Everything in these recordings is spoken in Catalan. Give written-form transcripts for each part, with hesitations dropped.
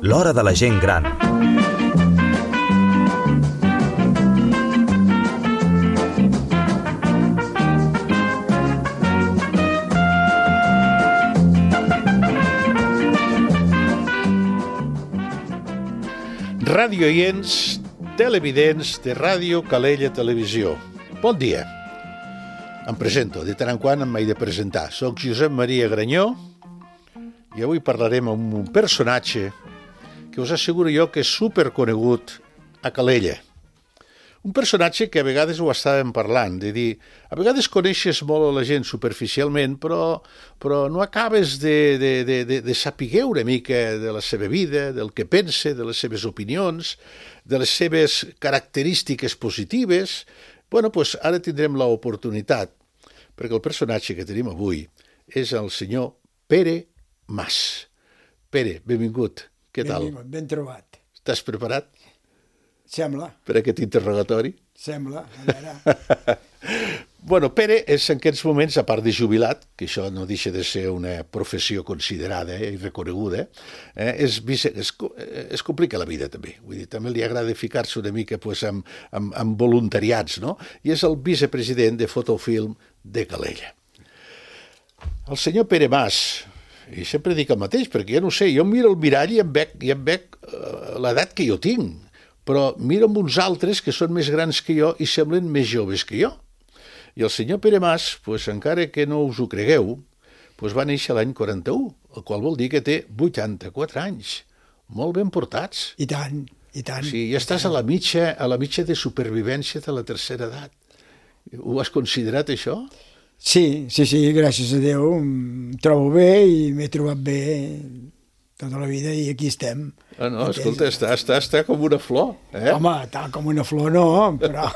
L'hora de la gent gran. Radioients, televidents de Ràdio Calella Televisió. Bon dia. Em presento, de tant en quant em m'he de presentar. Soc Josep Maria Granyó i avui parlarem amb un personatge que us asseguro jo que és superconegut a Calella. Un personatge que a vegades ho estàvem parlant, de dir, a vegades coneixes molt a la gent superficialment, però no acabes de saber una mica de la seva vida, del que pensa, de les seves opinions, de les seves característiques positives. Bueno, doncs ara tindrem l'oportunitat, perquè el personatge que tenim avui és el senyor Pere Mas. Pere, benvingut. Què tal? Benvingut, ben trobat. Estàs preparat? Sembla. Per aquest interrogatori? Sembla, a veure. Bueno, Pere és en aquests moments, a part de jubilat, que això no deixa de ser una professió considerada i reconeguda, es complica la vida també. Vull dir, també li agrada ficar-se una mica pues, amb voluntariats, no? I és el vicepresident de Fotofilm de Calella. El senyor Pere Mas, i sempre dic el mateix, perquè jo no sé, jo miro el mirall i em veig l'edat que jo tinc, però miro amb uns altres que són més grans que jo i semblen més joves que jo. I el senyor Pere Mas, pues, encara que no us ho cregueu, pues, va néixer l'any 41, el qual vol dir que té 84 anys. Molt ben portats. I tant, i tant. Sí, ja estàs a la mitja de supervivència de la tercera edat. Ho has considerat, això? Sí, gràcies a Déu, em trobo bé i m'he trobat bé tota la vida i aquí estem. Ah, no, escolta, està com una flor, eh? Home, tal com una flor no, però...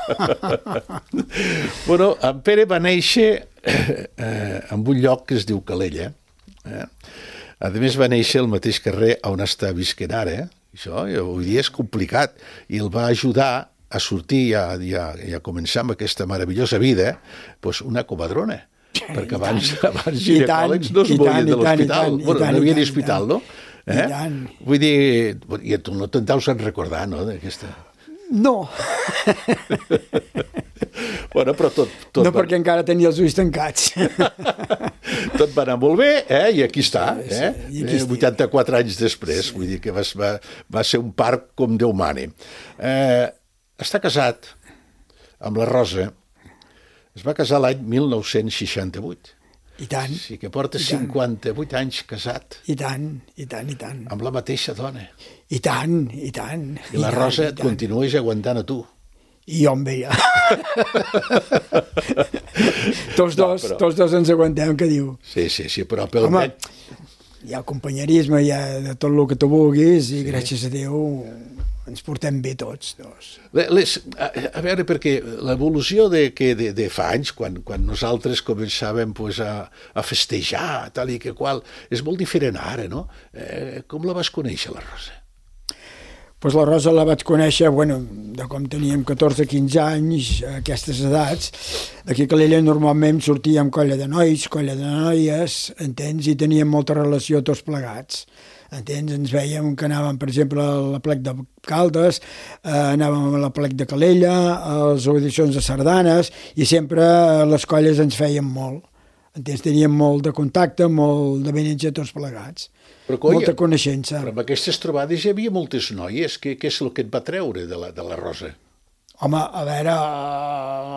Bueno, en Pere va néixer en un lloc que es diu Calella. A més, va néixer al mateix carrer on està visquent ara. Això, avui dia és complicat. I el va ajudar a sortir i a començar amb aquesta meravellosa vida, doncs una comadrona. Perquè abans ginecòlegs no es movien de l'hospital. Bueno, no havia d'hospital, no? Vull dir, i tu no te'n deus recordar, no, d'aquesta... No. Bueno, però tot... No, perquè encara tenia els ulls tancats. Tot va anar molt bé, i aquí està, 84 anys després, vull dir que va ser un part com Déu mani. Està casat amb la Rosa, es va casar l'any 1968. I tant. Sí, que porta 58 anys casat. I tant. Amb la mateixa dona. I tant. I la Rosa et continues aguantant a tu. I jo amb ella. Tots dos ens aguantem, què diu? Sí, però... Home, hi ha companyerisme, hi ha de tot el que tu vulguis i gràcies a Déu ens portem bé tots dos. A veure, perquè l'evolució de fa anys, quan nosaltres començàvem pues, a festejar, tal i que qual, és molt diferent ara, no? Com la vas conèixer, la Rosa? Pues la Rosa la vaig conèixer, de com teníem 14-15 anys, a aquestes edats. Aquí a Calella normalment sortíem colla de nois, colla de noies, entens? I teníem molta relació tots plegats. Entens? Ens veiem que anàvem, per exemple, a la plec de Caldes, anàvem a la plec de Calella, a les audicions de sardanes, i sempre les colles ens feien molt. Entens? Teníem molt de contacte, molt de beneig a tots plegats. Molta coneixença. Però amb aquestes trobades hi havia moltes noies. Què és el que et va treure de la Rosa? Home, a veure,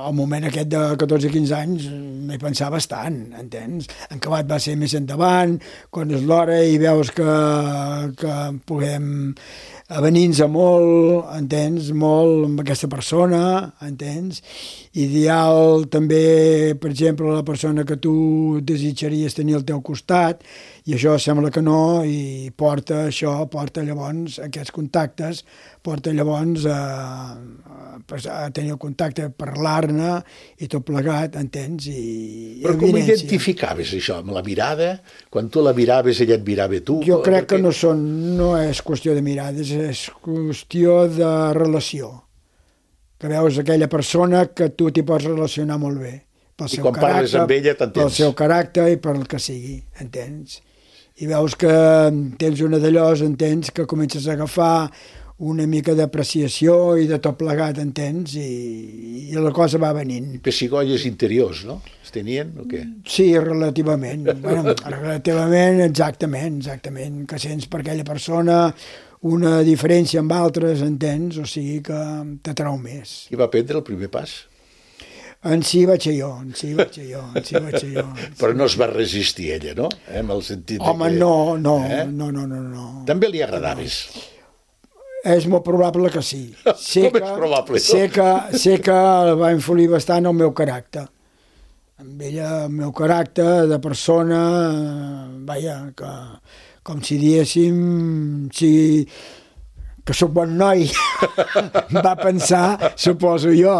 al moment aquest de 14-15 anys m'hi pensava bastant, entens? En acabat va ser més endavant, quan és l'hora i veus que podem avenir-nos a molt, entens? Molt amb aquesta persona, entens? Ideal també, per exemple, la persona que tu desitjaries tenir al teu costat, i això sembla que no, i porta llavors aquests contactes, porta llavors a tenir el contacte, a parlar-ne i tot plegat, entens? Però com identificaves això? Amb la mirada? Quan tu la miraves, ella et mirava tu? Jo crec que no és qüestió de mirades, és qüestió de relació. Que veus aquella persona que tu t'hi pots relacionar molt bé. pel I seu quan parles caràcter, amb ella t'entens. pel seu caràcter i per el que sigui, entens? I veus que tens una d'allò, entens, que comences a agafar una mica d'apreciació i de tot plegat, entens? I la cosa va venint. Pessigolles interiors, no? Es tenien o què? Sí, relativament. Bueno, relativament, exactament, que sents per aquella persona una diferència amb altres, entens? O sigui que t'atrau més. Qui va prendre el primer pas? En si vaig ser jo. Però no es va resistir ella, no? En el sentit Home, que... no. També li agradaves. És molt probable que sí. Com és probable, no? Sé que el va influir bastant el meu caràcter. Amb ella, el meu caràcter de persona, vaja, que com si diéssim, que sóc bon noi, va pensar, suposo jo,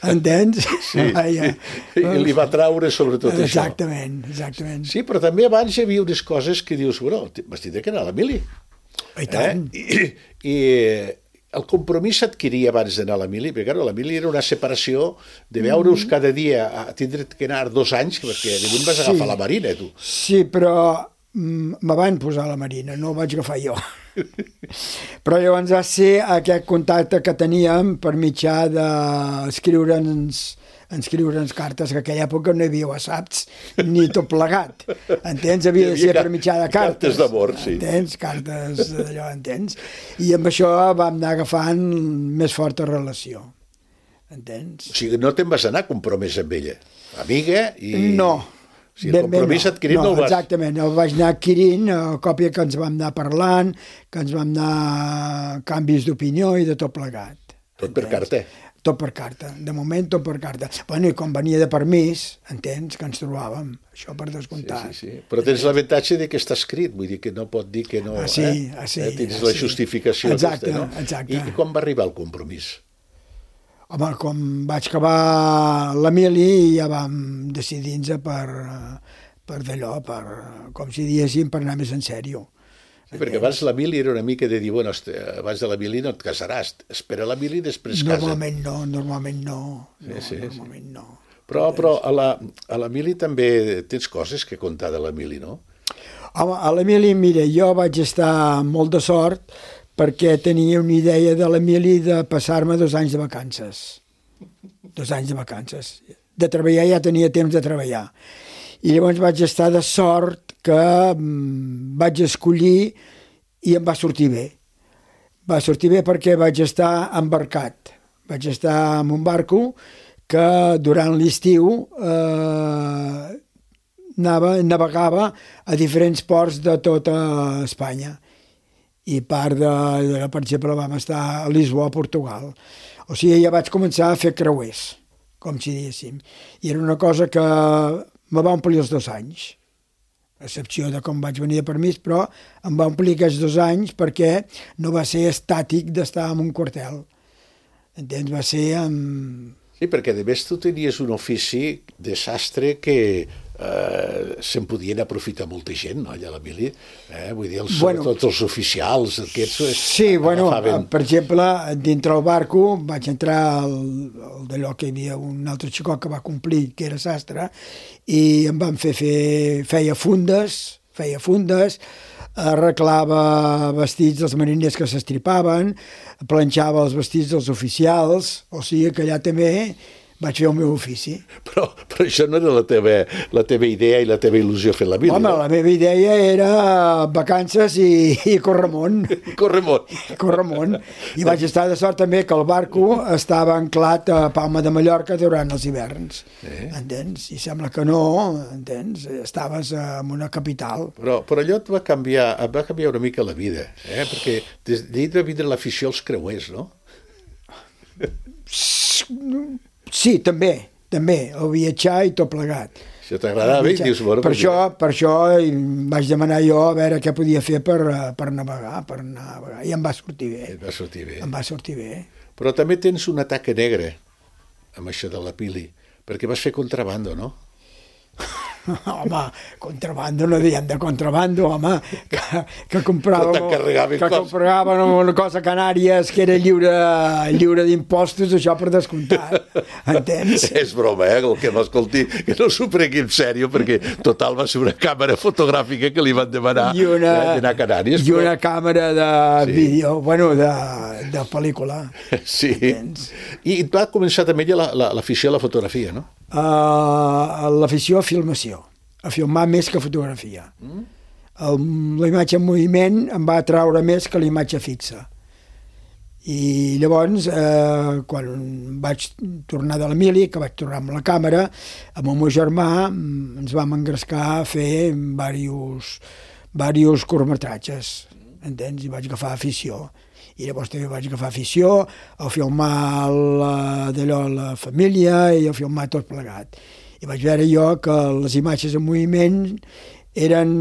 entens? Sí, i li va traure sobretot això. Exactament. Sí, però també abans hi havia unes coses que dius, bueno, m'has dit que era la Mili. I tant. I el compromís s'adquiria abans d'anar a la Mili, perquè la Mili era una separació de veure-us cada dia, a tindre que anar 2 anys, perquè de vas agafar la Marina, tu. Sí, però me van posar a la Marina, no ho vaig agafar jo. Però llavors va ser aquest contacte que teníem per mitjà d'escriure'ns cartes, que en aquella època no hi havia whatsapps ni tot plegat, entens? Havia de ser per mitjà de cartes. Cartes d'amor, sí. Entens? Cartes d'allò, entens? I amb això vam anar agafant més forta relació, entens? O sigui, no te'n vas anar compromès amb ella, amiga i... No. O sigui, el compromís adquirit no el vas... Exactament, el vaig anar adquirint a còpia que ens vam anar parlant, que ens vam anar canvis d'opinió i de tot plegat. Tot per carta. Tot per carta, de moment tot per carta. Bueno, i quan venia de permís, entens, que ens trobàvem, això per descomptat. Sí. Però tens l'avantatge de que està escrit, vull dir que no pot dir que no... Tens la justificació. Exacte, aquesta, no? exacte. I quan va arribar el compromís? Home, com vaig acabar la Mili, ja vam decidir-nos per d'allò, com si diéssim, per anar més en sèrio. Sí, perquè abans la Mili era una mica de dir, bueno, abans de la Mili no et casaràs, espera la Mili i després casa. Normalment no. Però a la Mili també tens coses que contar de la Mili, no? Home, a la Mili, mira, jo vaig estar molt de sort perquè tenia una idea de la Mili de passar-me 2 anys de vacances. 2 anys de vacances. De treballar ja tenia temps de treballar. I llavors vaig estar de sort que vaig escollir i em va sortir bé. Va sortir bé perquè vaig estar embarcat. Vaig estar en un barco que durant l'estiu navegava a diferents ports de tota Espanya. I part per exemple, vam estar a Lisboa, a Portugal. O sigui, ja vaig començar a fer creuers, com si diguéssim. I era una cosa que me va omplir els 2 anys, a excepció de com vaig venir de permís, però em va omplir aquests 2 anys perquè no va ser estàtic d'estar en un quartel. Entens? Va ser amb... Sí, perquè a més tu tenies un ofici de sastre que se'n podien aprofitar molta gent, no, allà a la Mili? Vull dir, sobretot els oficials aquests... Sí, bueno, per exemple, dintre el barco vaig entrar d'allò que hi havia un altre xicot que va complir, que era sastre, i em van feia fundes, arreglava vestits dels mariners que s'estripaven, planxava els vestits dels oficials, o sigui que allà també vaig fer el meu ofici. Però això no era la teva idea i la teva il·lusió fer la Mili. Home, la meva idea era vacances i corremont. Corremont. I vaig estar de sort també que el barco estava anclat a Palma de Mallorca durant els hiverns. Entens? I sembla que no, entens? Estaves en una capital. Però allò et va canviar una mica la vida, perquè d'ahir va vindre l'afició als creuers, no? Sí, també, el viatjar i tot plegat. Això t'agradava i dius... Per això vaig demanar jo a veure què podia fer per navegar, i em va sortir bé. Em va sortir bé. Però també tens una taca negra amb això de la Mili, perquè vas fer contrabando, no? Home, contrabando, no diem de contrabando, home, que compràvem una cosa a Canàries que era lliure d'impostos, això per descomptat, entens? És broma, el que m'escolti, que no s'ho pregui en sèrio, perquè total va ser una càmera fotogràfica que li van demanar d'anar a Canàries. I una càmera de vídeo, bueno, de pel·lícula. Sí, i va començar també l'afició a la fotografia, no? L'afició a filmació, a filmar més que fotografia. La imatge en moviment em va atraure més que la imatge fixa. I llavors, quan vaig tornar de l'Emili, que vaig tornar amb la càmera, amb el meu germà ens vam engrescar a fer diversos curtmetratges, entens? I vaig agafar afició. I llavors també vaig agafar afició a filmar la família i a filmar tot plegat. I vaig veure jo que les imatges en moviment eren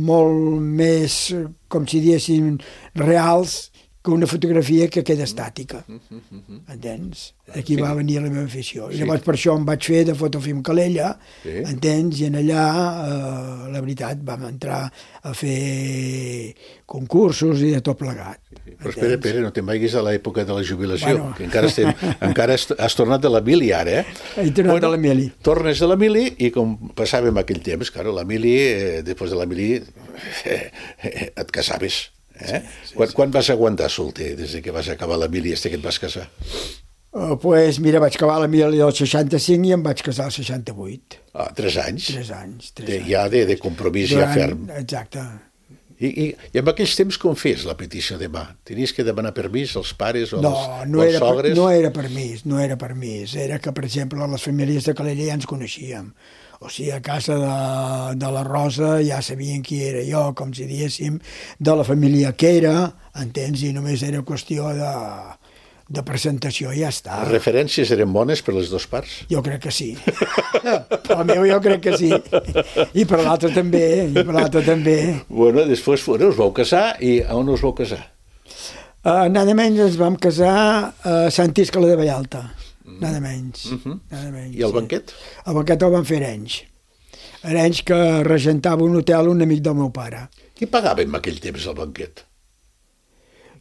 molt més, com si diguéssim, reals que una fotografia que queda estàtica. Entens? Aquí va venir la meva afició. I llavors per això em vaig fer de Fotofilm Calella, entens? I en allà, la veritat, vam entrar a fer concursos i de tot plegat. Però espera, Pere, no te'n vagis a l'època de la jubilació, que encara has tornat de l'Emili ara, He tornat de l'Emili. Tornes de l'Emili i com passàvem aquell temps, claro, l'Emili, després de l'Emili, et casaves. Quan vas aguantar solter, des que vas acabar l'Emili i que et vas casar? Pues mira, vaig acabar l'Emili al 65 i em vaig casar al 68. 3 anys? 3 anys. Ja de compromís ja ferm. Exacte. I en aquells temps com fes la petició de mà? Tenies que demanar permís als pares o no als sogres? No era permís. Era que, per exemple, les famílies de Calella ja ens coneixíem. O sigui, a casa de la Rosa ja sabien qui era jo, com si diguéssim, de la família que era, entens? I només era qüestió de presentació i ja està. Les referències eren bones per les dues parts? Jo crec que sí. Per la meva jo crec que sí. I per l'altra també. Bueno, després us vau casar i on us vau casar? Nada menys ens vam casar a Sant Iscle de Vallalta. Nada menys. I el banquet? El banquet el van fer Arenys. Arenys que regentava un hotel un amic del meu pare. Qui pagava en aquell temps el banquet?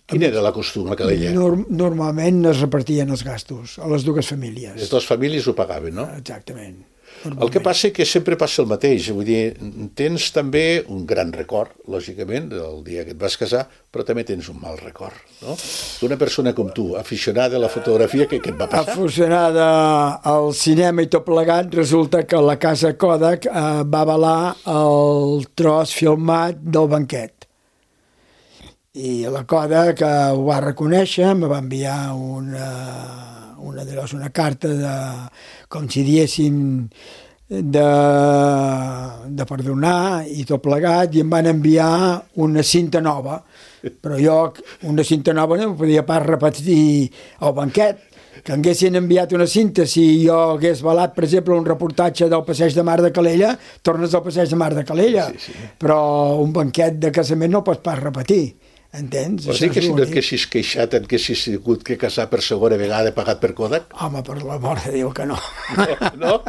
Quin era la costum a Calella? Normalment es repartien els gastos a les dues famílies. Les dues famílies ho pagaven, no? Exactament. El que passa és que sempre passa el mateix, vull dir, tens també un gran record, lògicament, del dia que et vas casar, però també tens un mal record, no? D'una persona com tu, aficionada a la fotografia, què et va passar? Aficionada al cinema i tot plegat, resulta que la casa Kodak va avalar el tros filmat del banquet. I la Kodak ho va reconèixer, me va enviar una carta de, com si diguéssim, de perdonar i tot plegat, i em van enviar una cinta nova, però jo una cinta nova no podia pas repetir el banquet, que haguessin enviat una cinta, si jo hagués valat, per exemple, un reportatge del Passeig de Mar de Calella, tornes al Passeig de Mar de Calella, però un banquet de casament no pots pas repetir. Entens? Vols dir que si no et haguessis queixat, et haguessis hagut que casar per segona vegada pagat per Kodak? Home, per l'amor de Déu que no. No?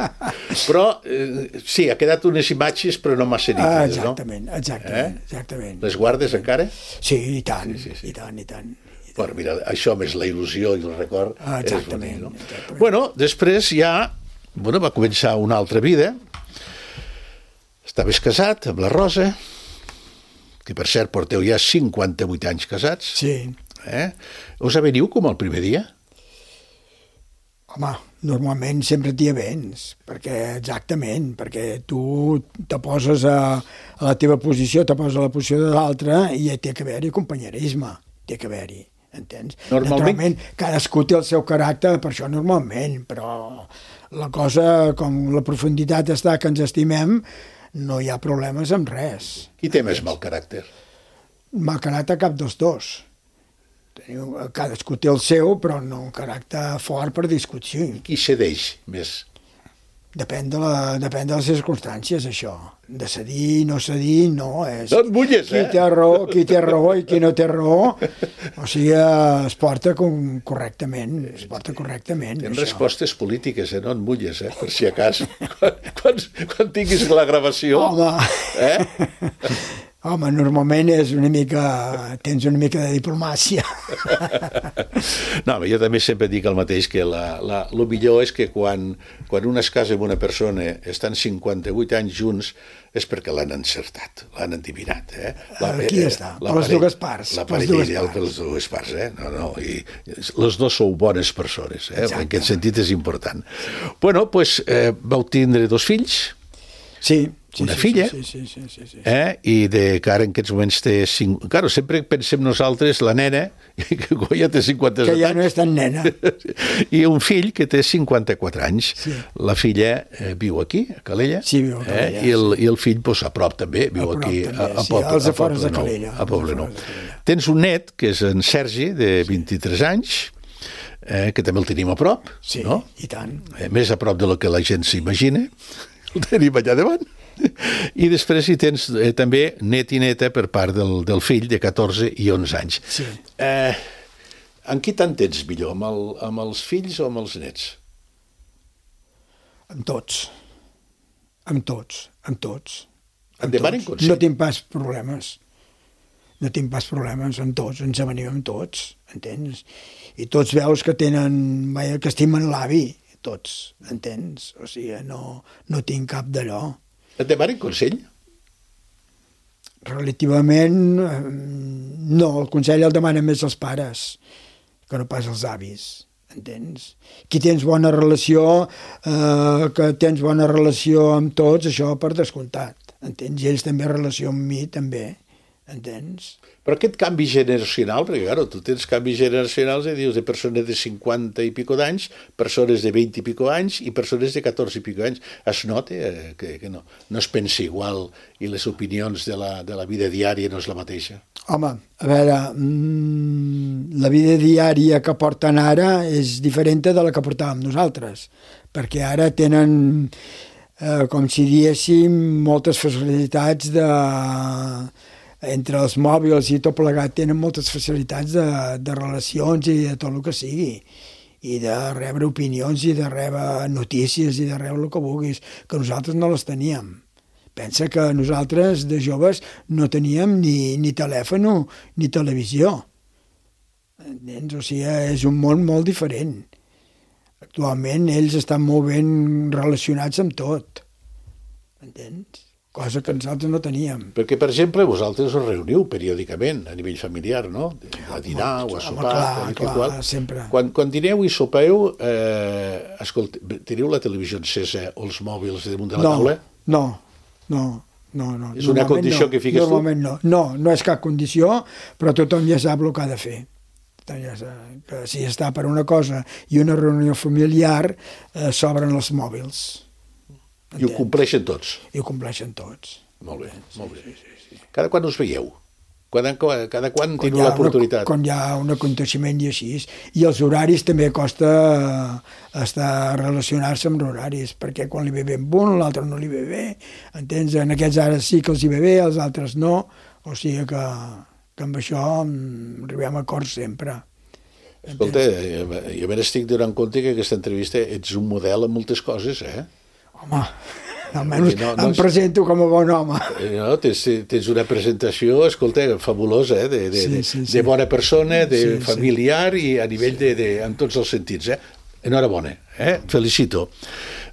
Però sí, ha quedat unes imatges però no massa nítides, no? Exactament. Les guardes encara? Sí, i tant, i tant. Bueno, mira, això més la il·lusió i el record és bonic, no? Bueno, després ja va començar una altra vida. Estaves casat amb la Rosa, que per cert porteu ja 58 anys casats. Sí. Us aveniu com el primer dia? Home, normalment sempre t'hi avens, perquè tu te poses a la teva posició, te poses a la posició de l'altre i té que haver-hi companyerisme, té que haver-hi, entens? Normalment cadascú té el seu caràcter, per això normalment, però la cosa, com la profunditat està que ens estimem, no hi ha problemes amb res. Qui té més mal caràcter? Mal caràcter cap dels dos. Cadascú té el seu, però no un caràcter fort per discutir. Qui cedeix més? Depèn de les circumstàncies, això. De cedir, no cedir, no. És No et mulles, qui té raó i qui no té raó. O sigui, es porta correctament. Es porta correctament. Tens això. respostes polítiques, no et mulles, per si a cas. Quan tinguis la gravació... Home, normalment és tens una mica de diplomàcia. No, jo també sempre dic el mateix, que el millor és que quan un es casa amb una persona, estan 58 anys junts, és perquè l'han encertat, l'han endivinat. Aquí està, per les dues parts. La parella ideal per les dues parts. I les dues sou bones persones, en aquest sentit és important. Bueno, doncs vau tindre 2 fills, una filla, i que ara en aquests moments té 5... Claro, sempre pensem nosaltres, la nena, que ja té 57 anys... Que ja no és tan nena. I un fill que té 54 anys. Sí. La filla viu aquí, a Calella. Sí, viu a Calella. I el fill, doncs, a prop també, viu aquí a Poblenou. A Poblenou. Tens un net, que és en Sergi, de 23 anys, que també el tenim a prop. Sí, no? I tant. Més a prop de lo que la gent s'imagina. El tenim allà davant. I després hi tens també net i neta per part del fill de 14 i 11 anys. Sí. En qui t'entens millor, amb els fills o amb els nets? Amb tots. Amb tots. Et demanen consell? No tinc pas problemes. Amb tots, ens avenim amb tots, entens? I tots veus que que estimen l'avi, tots, entens? O sigui, no tinc cap d'allò. Et demanen consell? Relativament, no, el consell el demanen més els pares, que no pas els avis, entens? Qui tens bona relació, que tens bona relació amb tots, això per descomptat, entens? I ells també relació amb mi, també, entens? Però aquest canvi generacional, perquè claro, tu tens canvis generacionals dius de persones de 50 i pico d'anys, persones de 20 i pico anys i persones de 14 i pico anys. Es nota que no es pensa igual i les opinions de la vida diària no és la mateixa? Home, a veure, la vida diària que porten ara és diferent de la que portàvem nosaltres, perquè ara tenen, com si diéssim, moltes facilitats entre els mòbils i tot plegat tenen moltes facilitats de relacions i de tot el que sigui, i de rebre opinions i de rebre notícies i de rebre el que vulguis, que nosaltres no les teníem. Pensa que nosaltres de joves no teníem ni telèfon ni televisió. Entens? O sigui, és un món molt diferent. Actualment ells estan molt ben relacionats amb tot. Entens? Cosa que nosaltres no teníem. Perquè, per exemple, vosaltres us reuniu periòdicament a nivell familiar, no? A dinar o a sopar. Clar, sempre. Quan dineu i sopeu, teniu la televisió encesa o els mòbils damunt de la taula? No. És una condició que fiques tu? Normalment no. No és cap condició, però tothom ja sap el que ha de fer. Que si està per una cosa i una reunió familiar, s'obren els mòbils. I ho compleixen tots? I ho compleixen tots. Molt bé, molt bé. Sí. Cada quan us veieu? Cada quan teniu l'oportunitat? Quan hi ha un aconteixement i així. I els horaris també costa relacionar-se amb horaris, perquè quan li ve bé amb un, l'altre no li ve bé. Entens? En aquests ara sí que els hi ve bé, els altres no. O sigui que amb això arribem a acords sempre. Escolta, jo me n'estic donant compte que aquesta entrevista ets un model en moltes coses, Home, almenys em presento com a bon home. No, tens una presentació, escolta, fabulosa, de bona persona, de familiar i a nivell en tots els sentits. Enhorabona, et felicito.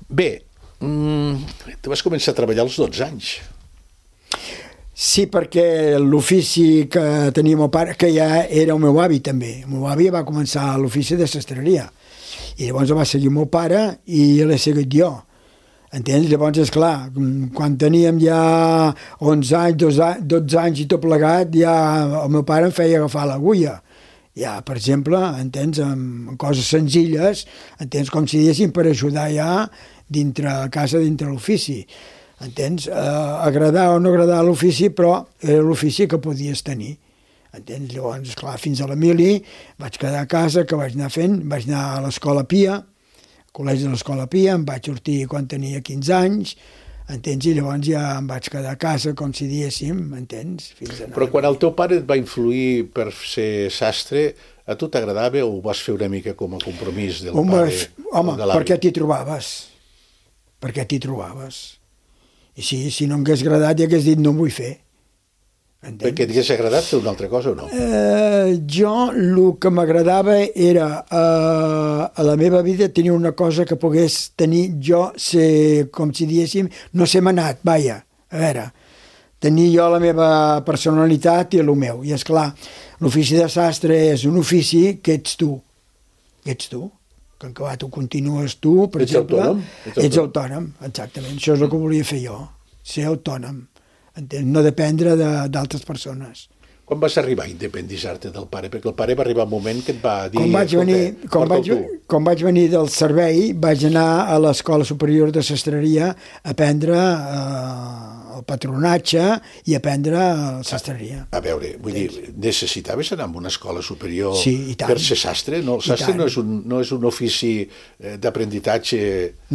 Bé, tu vas començar a treballar als 12 anys. Sí, perquè l'ofici que tenia el meu pare, que ja era el meu avi també, el meu avi va començar l'ofici de sastreria, i llavors el va seguir el meu pare i l'he seguit jo. Entens? Llavors, esclar, quan teníem ja 11 anys, 12 anys i tot plegat, ja el meu pare em feia agafar l'agulla. Ja, per exemple, entens, amb coses senzilles, entens, com si diguéssim, per ajudar ja dintre casa, dintre l'ofici. Entens? Agradar o no agradar l'ofici, però era l'ofici que podies tenir. Entens? Llavors, esclar, fins a la mili vaig quedar a casa, que vaig anar fent, vaig anar a l'escola Pia, col·legi de l'Escola Pia, em vaig sortir quan tenia 15 anys, entens? I llavors ja em vaig quedar a casa, com si diéssim, entens? Però quan el teu pare et va influir per ser sastre, a tu t'agradava o ho vas fer una mica com a compromís del pare o de l'avi? Perquè t'hi trobaves. Perquè t'hi trobaves. I si no m'hagués agradat, ja hagués dit no ho vull fer. Entens? Perquè t'hagués agradat fer una altra cosa o no? Jo el que m'agradava era a la meva vida tenir una cosa que pogués tenir jo, com si diéssim, no ser manat, vaja, a veure, tenir jo la meva personalitat i el meu. I és clar, l'ofici de sastre és un ofici que ets tu, que en acabat ho continues tu, per exemple. Ets autònom, exactament. Això és el que volia fer jo, ser autònom, entens? No dependre d'altres persones. Quan vas arribar a independitzar-te del pare? Perquè el pare va arribar un moment que et va dir... Quan vaig venir del servei, vaig anar a l'Escola Superior de Sastreria a aprendre el patronatge i a aprendre sastreria. A veure, vull dir, necessitaves anar a una escola superior per ser sastre? No, el sastre no és un ofici d'aprenditatge...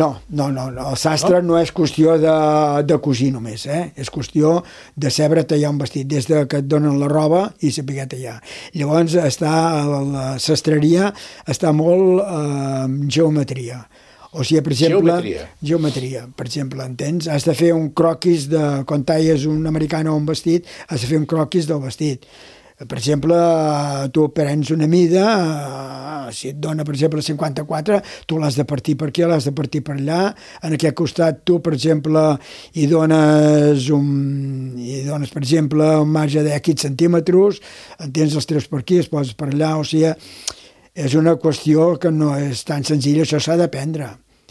No, el sastre no és qüestió de cosir només, és qüestió de saber tallar un vestit, des que et donen la roba i saber tallar. Llavors, la sastreria està molt en geometria. O sigui, per exemple... Geometria, per exemple, entens? Has de fer un croquis quan talles un americano o un vestit, has de fer un croquis del vestit. Per exemple, tu prens una mida, si et dona, per exemple, 54, tu l'has de partir per aquí, l'has de partir per allà. En aquest costat, tu, per exemple, hi dones, per exemple, un marge de X centímetres, entens, els treus per aquí, els poses per allà, o sigui... És una qüestió que no és tan senzilla, això s'ha d'aprendre,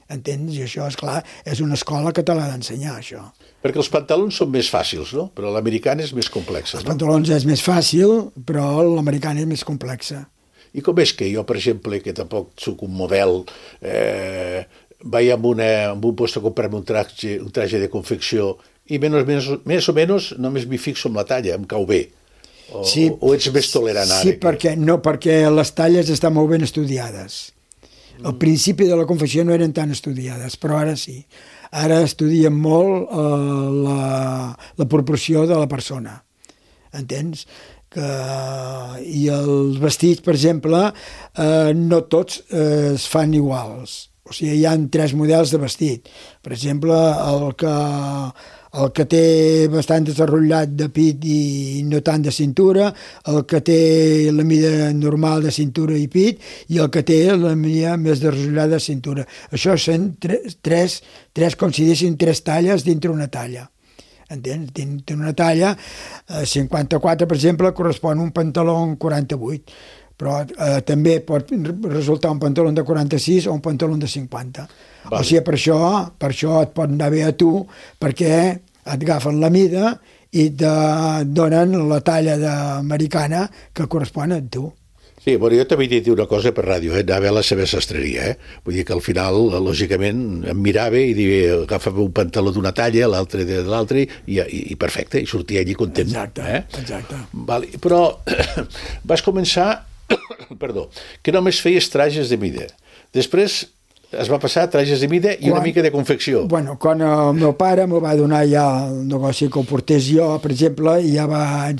entens? I això, és clar, és una escola que te l'ha d'ensenyar, això. Perquè els pantalons són més fàcils, no? Però l'americana és més complexa, no? Els pantalons és més fàcil, però l'americana és més complexa. I com és que jo, per exemple, que tampoc soc un model, vaig a un lloc a comprar-me un traje de confecció i més o menys només m'hi fixo en la talla, em cau bé. O ets més tolerant ara? Sí, perquè les talles estan molt ben estudiades. Al principi de la confecció no eren tan estudiades, però ara sí. Ara estudien molt la proporció de la persona. Entens? I els vestits, per exemple, no tots es fan iguals. O sigui, hi ha 3 models de vestit. Per exemple, el que té bastant desenvolupat de pit i no tant de cintura, el que té la mida normal de cintura i pit i el que té la mida més desenvolupada de cintura. Això són com si dissin 3 talles dintre una talla. Entens? Dintre una talla, 54, per exemple, correspon a un pantaló 48, però també pot resultar un pantaló de 46 o un pantaló de 50. Vale. O sigui, per això et pot anar bé a tu, perquè et agafen la mida i et donen la talla americana que correspon a tu. Sí, bueno, jo t'havia dit una cosa per ràdio, anava a la seva sastreria, Vull dir que al final, lògicament, em mirava i diria, agafava un pantaló d'una talla, l'altre de l'altre, i perfecte, i sortia allí content. Exacte. Vale, però vas començar, que només feies trajes de mida. Després es va passar a trajes de mida i una mica de confecció. Bueno, quan el meu pare m'ho va donar ja el negoci que ho portés jo, per exemple, i ja vaig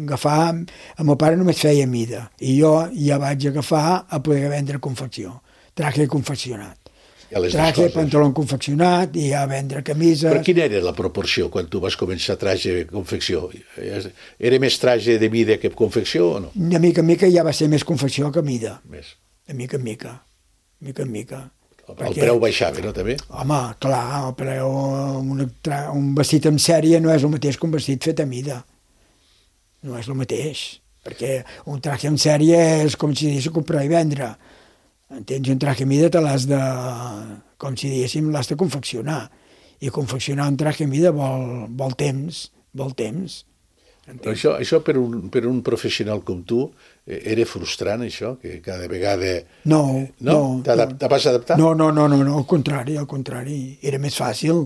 agafar... El meu pare només feia mida, i jo ja vaig agafar a poder vendre confecció. Traje confeccionat. Traje, pantaló confeccionat i a vendre camises... Però quina era la proporció quan tu vas començar traje confecció? Era més traje de mida que confecció o no? De mica en mica ja va ser més confecció que mida. Més. De mica en mica. El preu baixava, no, també? Home, clar, el preu... Un vestit en sèrie no és el mateix que un vestit fet a mida. No és el mateix. Perquè un traje en sèrie és com si diguéssim comprar i vendre. Entens? Un traje a mida te l'has de... Com si diguéssim, l'has de confeccionar. I confeccionar un traje a mida vol temps. Però això per un professional com tu era frustrant, això? Que cada vegada... No. Te vas adaptar? No, al contrari. Era més fàcil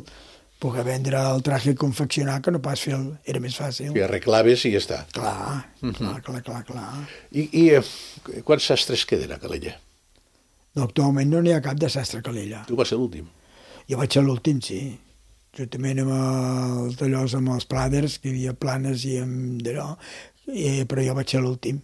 poder vendre el traje i confeccionar que no pas fer era més fàcil. Que arreglaves i ja està. Clar. I quants sastres queden a Calella? No, actualment no n'hi ha cap de sastre Calella. Tu vas ser l'últim. Jo vaig ser l'últim, sí. Juntament amb els d'allòs, amb els Pladers, que hi havia Planes i amb d'allò, però jo vaig ser l'últim.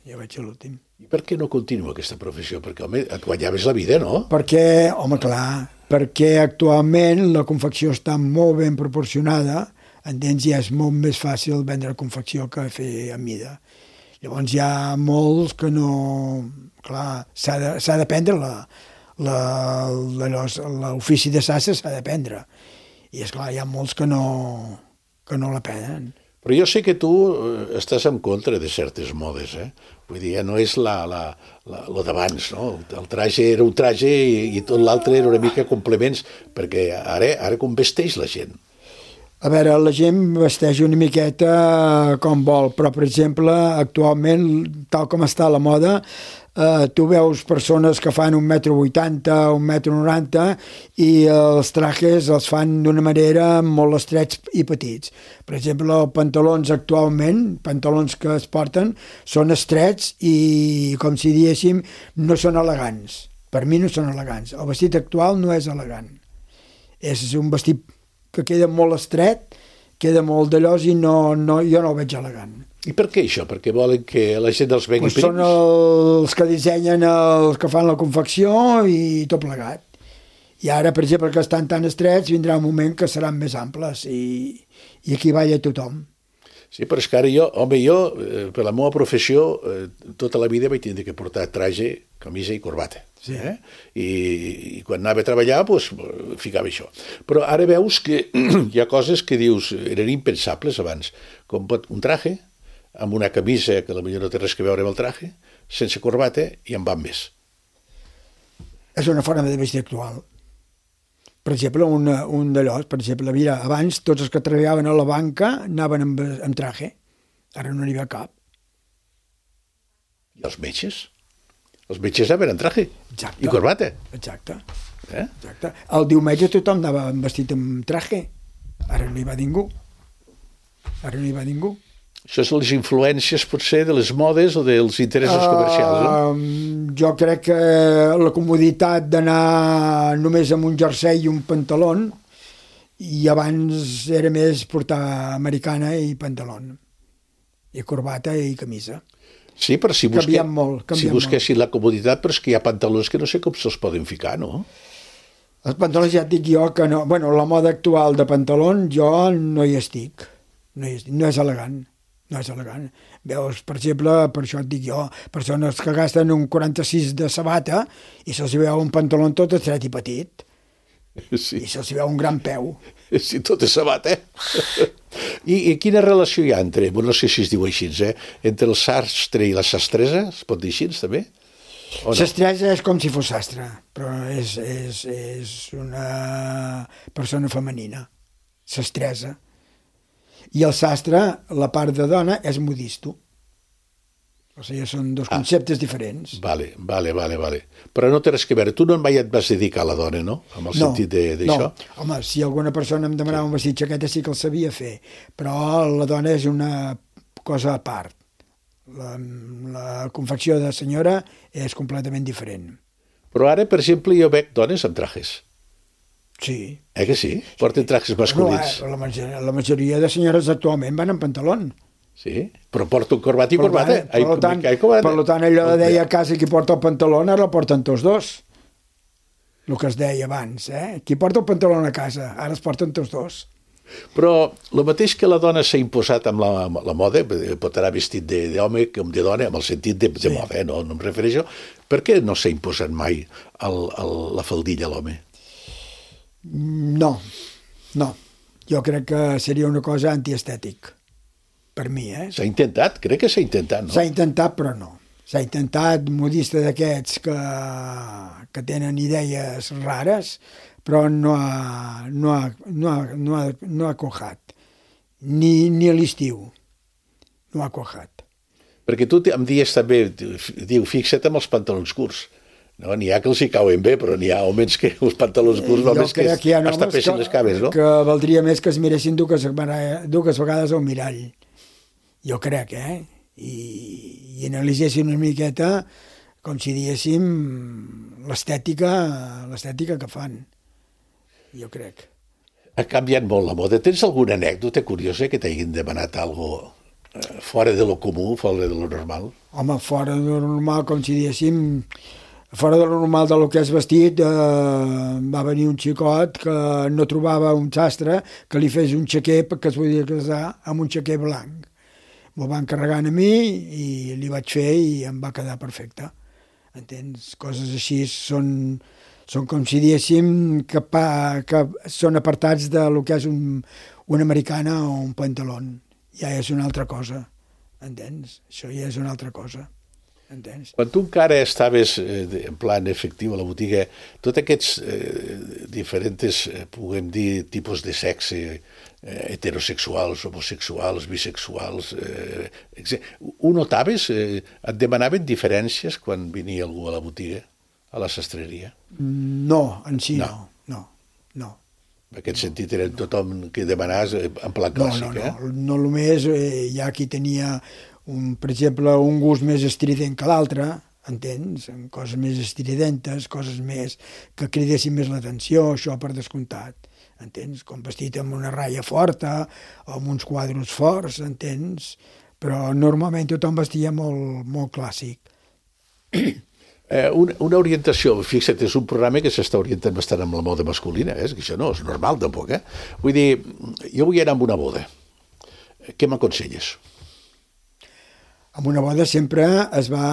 I per què no continua aquesta professió? Perquè, home, et guanyaves la vida, no? Perquè, home, clar, perquè actualment la confecció està molt ben proporcionada, entens? Ja és molt més fàcil vendre confecció que fer a mida. Llavors hi ha molts que no... Clar, s'ha d'aprendre l'ofici de sastre s'ha d'aprendre. I, esclar, hi ha molts que no l'aprenen. Però jo sé que tu estàs en contra de certes modes, eh? Vull dir, no és lo d'abans, no? El traje era un traje i tot l'altre era una mica complements, perquè ara com vesteix la gent? A veure, la gent vesteix una miqueta com vol, però, per exemple, actualment, tal com està la moda, tu veus persones que fan 1,80 m, 1,90 m i els trajes els fan d'una manera molt estrets i petits. Per exemple, els pantalons actualment, pantalons que es porten, són estrets i, com si diguéssim, no són elegants. Per mi no són elegants. El vestit actual no és elegant. És un vestit que queda molt estret, queda molt d'allòs i jo no el veig elegant. I per què això? Perquè volen que la gent els vengui prims? Són els que dissenyen, els que fan la confecció i tot plegat. I ara, per exemple, que estan tan estrets, vindrà un moment que seran més amples i aquí balla tothom. Sí, però és que ara jo, per la meva professió, tota la vida vaig tindre que portar traje, camisa i corbata. Sí. I quan anava a treballar, doncs, ficava això. Però ara veus que hi ha coses que dius, eren impensables abans, com un traje, amb una camisa que potser no té res a veure amb el traje, sense corbata i amb més. És una forma de vestir actual. Per exemple, un d'allòs, per exemple, mira, abans tots els que treballaven a la banca anaven amb traje, ara no n'hi ha cap. I els metges? Els metges anaven amb traje. Exacte. I corbata. Exacte. Exacte. El diumenge tothom anava vestit amb traje, ara no hi va ningú. Això són les influències, potser, de les modes o dels interessos comercials, no? Jo crec que la comoditat d'anar només amb un jersei i un pantalón, i abans era més portar americana i pantalón, i corbata i camisa. Sí, però si busquessin la comoditat, però és que hi ha pantalons que no sé com se'ls poden ficar, no? Els pantalons ja et dic jo que no... Bueno, la moda actual de pantalón jo no hi estic. No és elegant. No és elegant. Veus, per exemple, per això et dic jo, persones que gasten un 46 de sabata i se'ls veu un pantaló tot estret i petit. Sí. I se'ls veu un gran peu. Sí, tot és sabata, I quina relació hi ha entre, no sé si es diu així, entre el sastre i la sastresa? Es pot dir així, també? No? Sastresa és com si fos sastre, però és una persona femenina. Sastresa. I el sastre, la part de dona, és modisto. O sigui, són dos conceptes diferents. Vale. Però no té res a veure. Tu no mai et vas dedicar a la dona, no? Amb el sentit d'això? No, home, si alguna persona em demanava un vestit jaqueta sí que el sabia fer, però la dona és una cosa a part. La confecció de senyora és completament diferent. Però ara, per exemple, jo veig dones amb trajes. Sí. Que sí? Porten trajes masculins. La majoria de senyores actualment van amb pantalón. Sí, però porta un corbat i corbata. Per tant, allò de deia a casa qui porta el pantaló, ara el porten tots dos. El que es deia abans, Qui porta el pantaló a casa, ara es porten tots dos. Però el mateix que la dona s'ha imposat amb la moda, pot anar vestit d'home com de dona, amb el sentit de moda, no em refereixo, per què no s'ha imposat mai la faldilla a l'home? No. Jo crec que seria una cosa antiestètic. Per mi, S'ha intentat? Crec que s'ha intentat, no? S'ha intentat, però no. S'ha intentat modista d'aquests que tenen idees rares, però no ha cuajat. Ni a l'estiu. No ha cuajat. Perquè tu em dius també, diu, fixa't amb els pantalons curts. No, n'hi ha que els hi cauen bé, però n'hi ha homes que els pantalons curts només que es tapessin les cames, no? Que valdria més que es miressin dues vegades al mirall. Jo crec, i analitzessin una miqueta com si diguéssim, l'estètica que fan, jo crec. Ha canviat molt la moda. Tens alguna anècdota curiosa que t'hagin demanat alguna fora de lo comú, fora de lo normal? Home, fora de lo normal, com si diguéssim, fora de lo normal del que és vestit, va venir un xicot que no trobava un sastre que li fes un xaquer perquè es podia casar amb un xaquer blanc. M'ho van carregant a mi i li vaig fer i em va quedar perfecte. Entens? Coses així són com si diguéssim que són apartats de lo que és una americana o un pantalón. Ja és una altra cosa, entens? Això ja és una altra cosa, entens? Quan tu encara estaves en plan efectiu a la botiga, tots aquests diferents, puguem dir, tipus de sexe, heterosexuals, homosexuals, bisexuals, ho notaves? Et demanaven diferències quan venia algú a la botiga, a la sastreria? No, en si no. En aquest sentit era tothom que demanaves en pla clàssic, No només hi ha qui tenia, per exemple, un gust més estrident que l'altre, entens? Coses més estridentes, coses més que cridessin més l'atenció, això per descomptat, entens? Com vestit amb una ratlla forta, o amb uns quadros forts, entens? Però normalment tothom vestia molt, molt clàssic. Una orientació, fixa't, és un programa que s'està orientant bastant amb la moda masculina, que això no és normal tampoc, Vull dir, jo vull anar amb una boda. Què m'aconselles? Amb una boda sempre es va,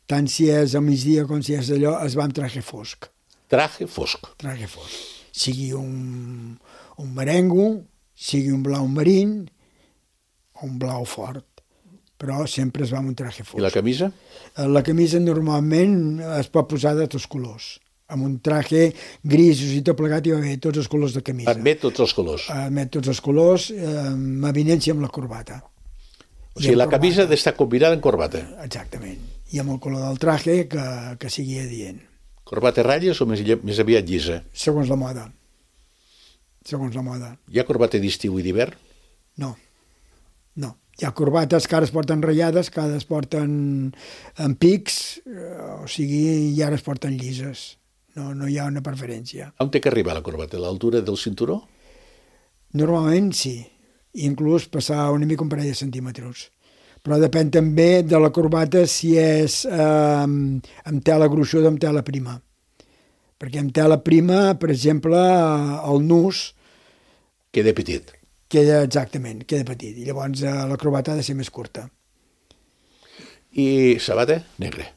tant si és a migdia com si és allò, es va amb traje fosc. Traje fosc. Traje fosc. Sigui un merengo, sigui un blau marín o un blau fort. Però sempre es va amb un traje fosc. I la camisa? La camisa normalment es pot posar de tots colors. Amb un traje grisos i tot plegat hi va haver tots els colors de camisa. Admet tots els colors? Admet tots els colors, amb avinença amb la corbata. O sigui, la camisa ha d'estar combinada amb corbata? Exactament. I amb el color del traje que sigui adient. Corbata ratlles o més aviat llisa? Segons la moda. Segons la moda. Hi ha corbata d'estiu i d'hivern? No. Hi ha corbates que ara es porten ratllades, que ara es porten en pics, o sigui, i ara es porten llises. No hi ha una preferència. On té que arribar la corbata? A l'altura del cinturó? Normalment sí. Inclús passar una mica un parell de centímetres. Però depèn també de la corbata si és amb tela gruixuda o amb tela prima. Perquè amb tela prima, per exemple, el nus queda petit. Queda petit. I llavors la corbata ha de ser més curta. I sabata? Negre.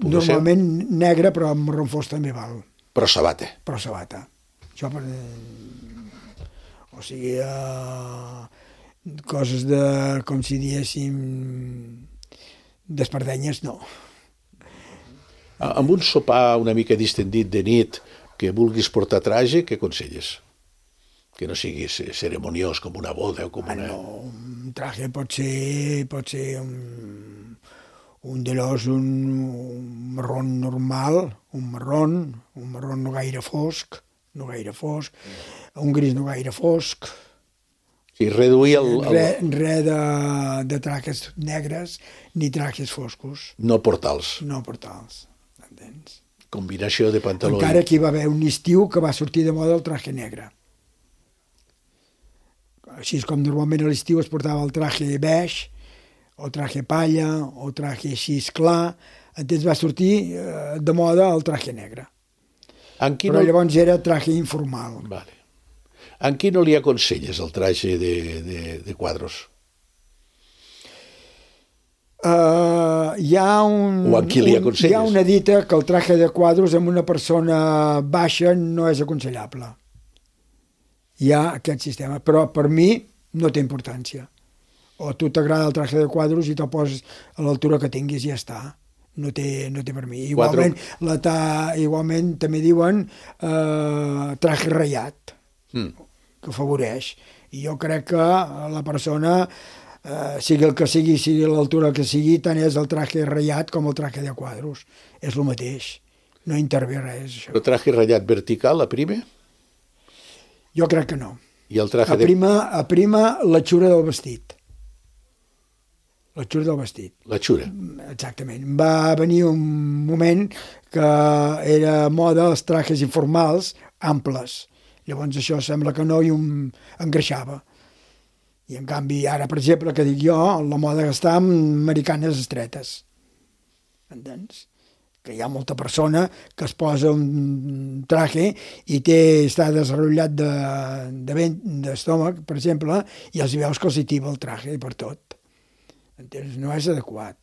Normalment negre, però amb marró fosc també val. Però sabata. Això o sigui, coses de, com si diguéssim, d'espardenyes, no. Amb un sopar una mica distendit de nit que vulguis portar traje, què aconselles? Que no sigui ceremoniós com una boda o com una... No, un traje pot ser un d'allòs, un marrón normal, un marrón no gaire fosc, un gris no gaire fosc. Sí, reduir el... Res de trajes negres ni trajes foscos. No portals. Entens? Combinació de pantaló. Encara que hi va haver un estiu que va sortir de moda el traje negre. Així com normalment a l'estiu es portava el traje beige, o traje palla, o traje així clar, entens, va sortir de moda el traje negre. Però llavors era traje informal. Vale. En qui no li aconselles el traje de quadros? Hi ha una dita que el traje de quadros amb una persona baixa no és aconsellable. Hi ha aquest sistema, però per mi no té importància. O a tu t'agrada el traje de quadros i te'l poses a l'altura que tinguis i ja està. No té per mi. Igualment també diuen traje ratllat, que afavoreix. I jo crec que la persona, sigui el que sigui l'altura que sigui, tant és el traje ratllat com el traje de quadros. És el mateix. No intervé res, això. El traje ratllat vertical, aprima? Jo crec que no. I el traje aprima l'atxura del vestit. La xura del vestit. La xura. Exactament. Va venir un moment que era moda els trajes informals amples. Llavors això sembla que no i engreixava. I en canvi ara, per exemple, que dic jo, la moda que està amb americanes estretes. Entens? Que hi ha molta persona que es posa un traje i està desenvolupat d'estómac, per exemple, i els veus que els hi tiba el traje per tot. Entens? No és adequat.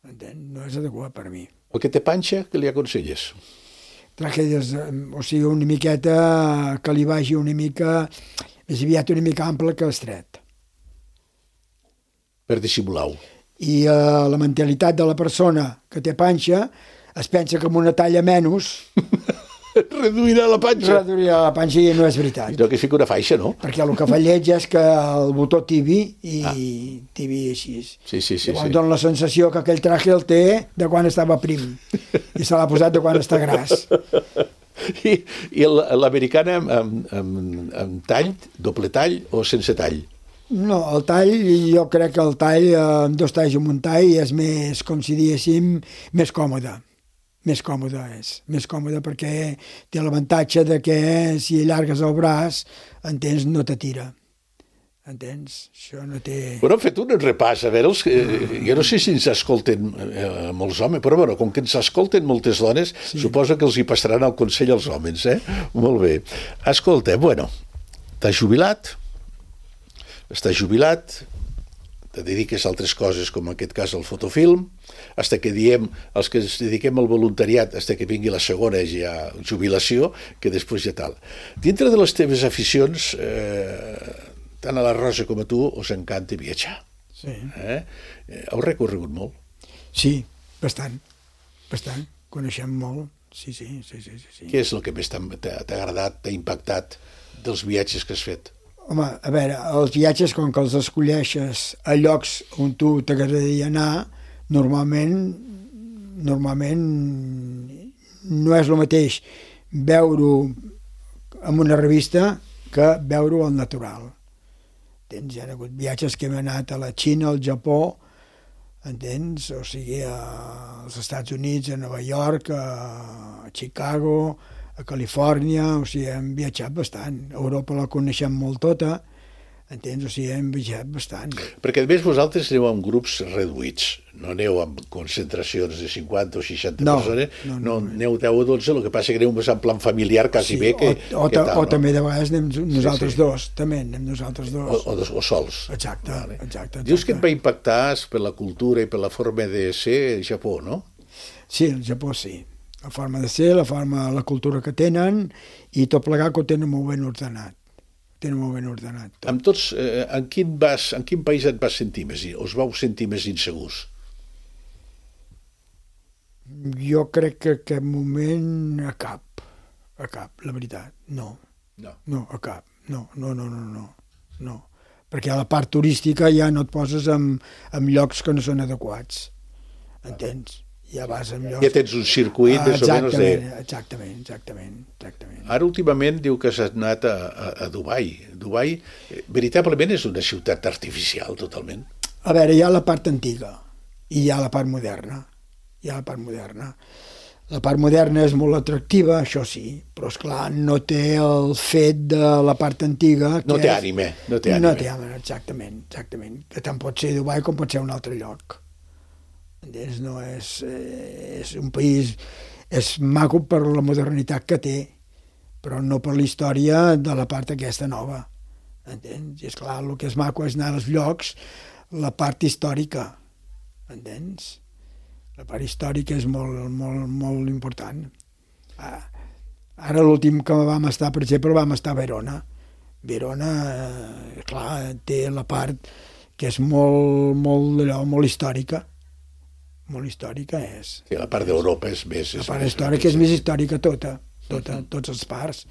Entens? No és adequat per mi. El que té panxa, què li aconselles? Traje, o sigui, una miqueta que li vagi una mica, més aviat una mica ample que estret. Per dissimular-ho. I la mentalitat de la persona que té panxa es pensa que amb una talla menys reduirà la panxa. Reduirà la panxa i no és veritat. No, que fica una faixa, no? Perquè el que fa lleig és que el botó tibi i tibi així. Sí. Llavors dona la sensació que aquell traje el té de quan estava prim i se l'ha posat de quan està gras. I l'americana amb tall, doble tall o sense tall? No, el tall, jo crec que el tall, amb 2 talls i un tall, és més, com si diguéssim, més còmode. Més còmode és. Més còmode perquè té l'avantatge de que si allargues el braç, entens, no te tira. Entens? Això no té... Bueno, hem fet un repàs, a veure, jo no sé si ens escolten molts homes, però bueno, com que ens escolten moltes dones, suposo que els hi passaran el consell als homes, eh? Molt bé. Escolta, bueno, t'has jubilat, te dediques a altres coses, com en aquest cas el fotofilm, fins que diem, els que ens dediquem al voluntariat, fins que vingui la segona ja jubilació, que després ja tal. Dintre de les teves aficions, tant a la Rosa com a tu, us encanta viatjar. Sí. Heu recorregut molt? Sí, bastant. Coneixem molt. Sí. Què és el que més t'ha agradat, t'ha impactat dels viatges que has fet? Home, a veure, els viatges, com que els escolleixes a llocs on tu t'agradaria anar, normalment no és el mateix veure-ho en una revista que veure-ho al natural. Entens? Hi ha hagut viatges que hem anat a la Xina, al Japó, entens? O sigui, als Estats Units, a Nova York, a Chicago, a Califòrnia, o sigui, hem viatjat bastant. Europa la coneixem molt tota, entens? O sigui, hem viatjat bastant. Perquè, a més, vosaltres aneu amb grups reduïts, no aneu amb concentracions de 50 o 60 persones, no, aneu 10 o 12, el que passa que aneu més en plan familiar, quasi bé, que tal, o també de vegades anem nosaltres dos, també anem nosaltres dos. O sols. Exacte. Dius que et va impactar per la cultura i per la forma de ser el Japó, no? Sí, el Japó sí. La forma de ser, la cultura que tenen, i tot plegat que ho tenen molt ben ordenat. Tot. Amb tots, en quin país et vas sentir més? Us vau sentir més insegurs? Jo crec que en aquest moment a cap, la veritat, no, a cap, no. Perquè a la part turística ja no et poses en llocs que no són adequats, entens? Ja vas en llocs... Ja tens un circuit més o menys de... Exactament. Ara últimament diu que has anat a Dubai. Dubai veritablement és una ciutat artificial, totalment. A veure, hi ha la part antiga i hi ha la part moderna. La part moderna és molt atractiva, això sí, però esclar, no té el fet de la part antiga... No té ànime. Exactament. Que tant pot ser Dubai com pot ser un altre lloc. No és un país, és maco per la modernitat que té, però no per la història de la part aquesta nova, entens? I esclar, el que és maco és anar als llocs, la part històrica, entens? La part històrica és molt important. Ara l'últim que vam estar, per exemple, vam estar a Verona. Verona, clar, té la part que és molt històrica. Molt històrica és. Sí, la part d'Europa és més... La part històrica és més històrica tots els parts.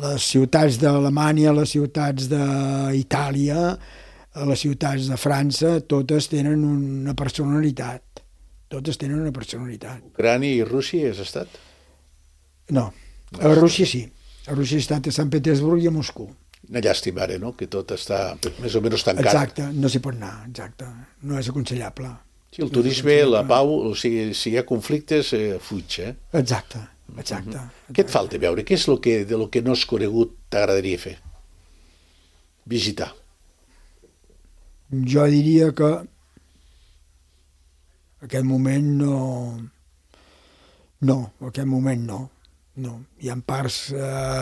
Les ciutats d'Alemanya, les ciutats d'Itàlia, les ciutats de França, totes tenen una personalitat. Ucrània i Rússia has estat? No, a Rússia sí. A Rússia he estat a Sant Petersburg i a Moscou. Una llàstima ara, no?, que tot està més o menys tancat. Exacte, no s'hi pot anar, exacte. No és aconsellable. Sí, el turisme, la pau, o sigui, si hi ha conflictes, fuig, Exacte. Què et falta veure? Què és de lo que no has conegut t'agradaria fer? Visitar. Jo diria que aquest moment aquest moment no. Hi ha parts